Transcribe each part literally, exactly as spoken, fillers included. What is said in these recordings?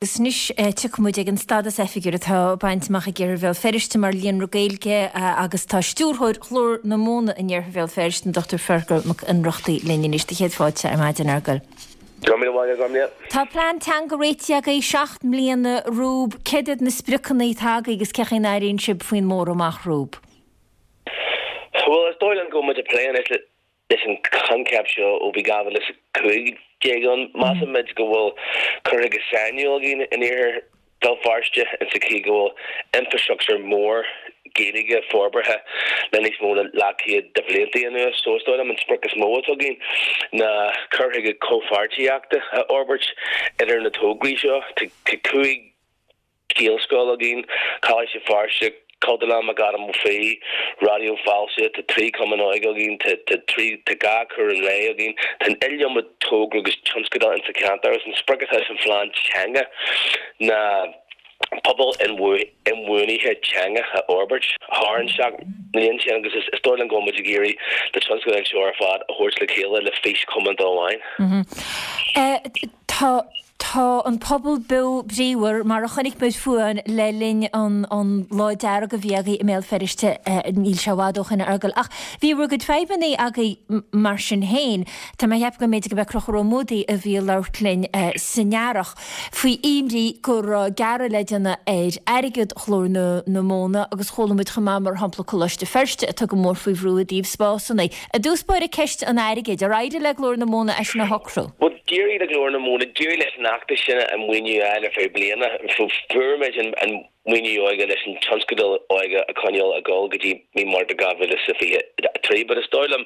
Agus anois tiocfaidh muid ag an stádas oifigiúil atá bainte amach ag Iarthar Bhéal Feirste mar líonra Gaeilge agus tá stiúrthóir Ghlór na Móna in Iarthar Bhéal Feirste, an Dochtúir Feargal Mac Ionnrachtaigh linn anois. Do chéad fáilte ar maidin, a Fheargail. Go raibh míle maith agat, Gormlaith. Tá plean teanga réitithe agaibh seacht mbliana romhaibh. Céard iad na spriocanna atá agaibh agus cén chaoi a n-airíonn sibh faoin mborradh amach romhaibh? Bhuel, is dóigh liom go bhfuil muid ag plé anois le leis an choincheap seo ó bhí dhá mhíle is a cúig déag ann. Measaimid go bhfuil cur chuige sainiúil againn in iarthar Bhéal Feirste in sa chaoi go bhfuil infrastructúr mór Gaeilge forbartha le níos mó na leathchéad de bhlianta anuas. So is dóigh liom an sprioc is mó atá againn ná cur chuige comhpháirtíochta a fhorbairt idir na tograí seo. Tá cúig Gaelscoil againn, Coláiste Feirste, Cultúrlann McAdam Ó Fiaich, Raidió Fáilte, tá trí chumann óige againn, tá trí, tá dhá chúram lae againn, tá an iliomad togra agus tionscadal insa cheantar agus an sprioc atá san phlean teanga ná pobal inbhuanaithe teanga a fhorbairt thar an seacht mbliana sin agus is dóigh liom go bhfuil muid ag iarraidh na tionscadail seo ar fad a thabhairt le chéile le fís chomónta amháin. Tá Tá an pobal beo bríomhar, mar a chonaic muid fúinn le linn an an Lá Dearg a bhí agaibh i mBéal Feirste, níl sé i bhfad ó shin, a Fheargail. Ach bhí bhur gcuid fadhbanna agaibh mar sin féin. Tá mé ag ceapadh go mb'fhéidir go b'é Conchúr Ó Muadaigh a bhí ag labhairt linn san earrach faoi imní go raibh gearradh le déanamh ar airgead Ghlór na na Móna agus chuala muid chomh maith mar shampla Coláiste Feirste atá go mór faoi bhrú i dtaobh spásanna. I dtús báire ceist an airgid, ar éirigh le Glór na Móna é sin a shocrú? Bhuel, d'éirigh le Glór na Móna, d'éirigh leis an fheachtas sin an maoiniú a fháil ar feadh bliana. Fuair muid an maoiniú óige leis an tionscadal óige a choinneáil ag dul go dtí mí Márta dhá mhíle is a fiche a trí. But is dóigh liom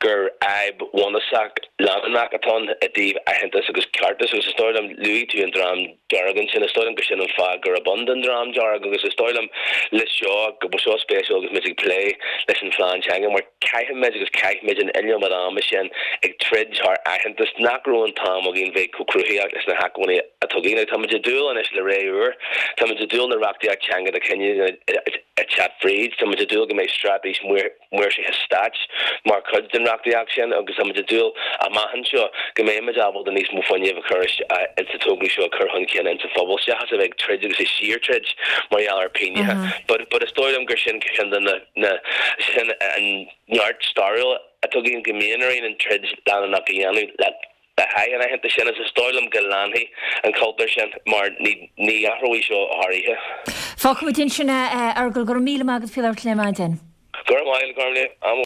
gur fhadhb bhunúsach leanúnach atá ann i dtaobh aitheantas agus ceartas agus is dóigh liom, luaigh tú an Dream Dearg ansin, is dóigh liom gur sin an fáth gurb ann don Dream Dearg agus is dóigh liom le seo go bhfuil seo spéisiúil agus muid ag plé leis an phlean teanga mar caithfimid agus caithfimid an iliomad ama sin ag troid thar aitheantas nach raibh an t-am againn bheith chomh cruthaitheach leis na hacmhainní atá againn. Táimid ag dúil anois le ré úr, táimid ag dúil na reachtaíocht teanga do chinneadh ag teacht fríd, táimid ag dúil go mbeidh straitéis maoirsithe stáit mar chuid den reachtaíocht sin agus táimid ag dúil amach anseo go mbeimid ábalta níos mó fuinnimh a chur insa tograí seo a chur chun cinn insa phobal seachas a bheith ag troid agus ag síor-troid mar gheall ar phingineacha. But but is dóigh liom gur sin ceann de na na sin an neart stairiúil atá againn go mbíonn orainn an troid leanúnach a dhéanamh le le haghaidh an aitheantais sin agus is dóigh liom go leanfaidh an cultúr sin mar ní ní athróidh seo thar oíche. Fágfaimid ansin é, a Fheargail, go raibh míle maith agat faoi labhairt linn ar maidin. Go raibh maith agat, Gormlaith.